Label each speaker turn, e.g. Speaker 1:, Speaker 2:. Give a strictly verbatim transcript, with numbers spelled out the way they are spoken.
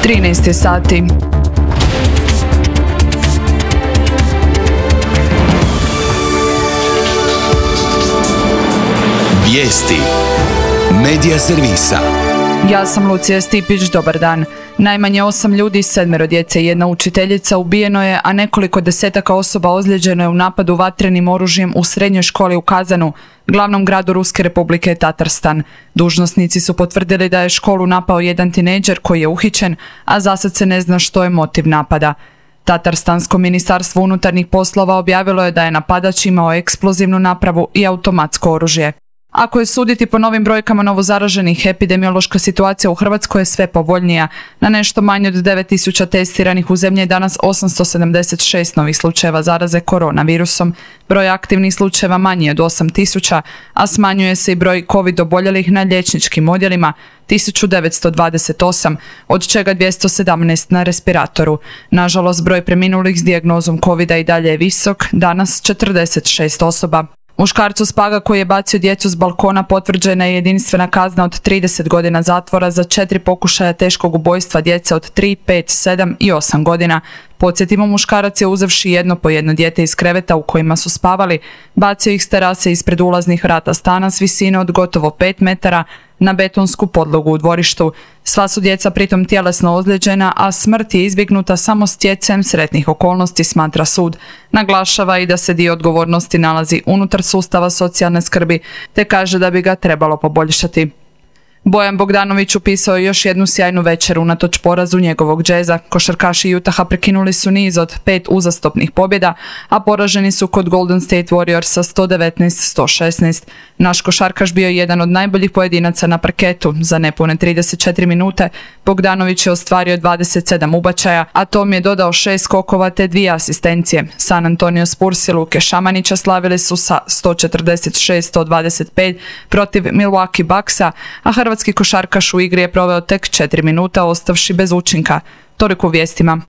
Speaker 1: trinaest je sati.
Speaker 2: Vijesti Medija servisa.
Speaker 1: Ja sam Lucija Stipić, dobar dan. Najmanje osam ljudi, sedmero djece i jedna učiteljica ubijeno je, a nekoliko desetaka osoba ozlijeđeno je u napadu vatrenim oružjem u srednjoj školi u Kazanu, glavnom gradu Ruske Republike Tatarstan. Dužnosnici su potvrdili da je školu napao jedan tinejdžer koji je uhićen, a zasad se ne zna što je motiv napada. Tatarstansko ministarstvo unutarnjih poslova objavilo je da je napadač imao eksplozivnu napravu i automatsko oružje. Ako je suditi po novim brojkama novozaraženih, epidemiološka situacija u Hrvatskoj je sve povoljnija. Na nešto manje od devet tisuća testiranih u zemlji je danas osamsto sedamdeset šest novih slučajeva zaraze koronavirusom. Broj aktivnih slučajeva manji od osam tisuća, a smanjuje se i broj COVID oboljelih na liječničkim odjelima, tisuću devetsto dvadeset osam, od čega dvjesto sedamnaest na respiratoru. Nažalost, broj preminulih s dijagnozom covida i dalje je visok, danas četrdeset šest osoba. Muškarcu s Paga koji je bacio djecu s balkona potvrđena je jedinstvena kazna od trideset godina zatvora za četiri pokušaja teškog ubojstva djece od tri, pet, sedam i osam godina. Podsjetimo, muškarac je uzevši jedno po jedno dijete iz kreveta u kojima su spavali, bacio ih s terase ispred ulaznih vrata stana s visine od gotovo pet metara na betonsku podlogu u dvorištu. Sva su djeca pritom tjelesno ozlijeđena, a smrt je izbjegnuta samo stjecajem sretnih okolnosti, smatra sud. Naglašava i da se dio odgovornosti nalazi unutar sustava socijalne skrbi, te kaže da bi ga trebalo poboljšati. Bojan Bogdanović upisao je još jednu sjajnu večer unatoč porazu njegovog džeza. Košarkaši Utaha prekinuli su niz od pet uzastopnih pobjeda, a poraženi su kod Golden State Warriorsa sto devetnaest sto šesnaest. Naš košarkaš bio je jedan od najboljih pojedinaca na parketu. Za nepune trideset četiri minute Bogdanović je ostvario dvadeset sedam ubačaja, a Tom je dodao šest skokova te dvije asistencije. San Antonio Spurs i Luke Šamanića slavili su sa sto četrdeset šest sto dvadeset pet protiv Milwaukee Bucksa, a hrvatski košarkaš u igri je proveo tek četiri minuta, ostavši bez učinka. Toliko u vijestima.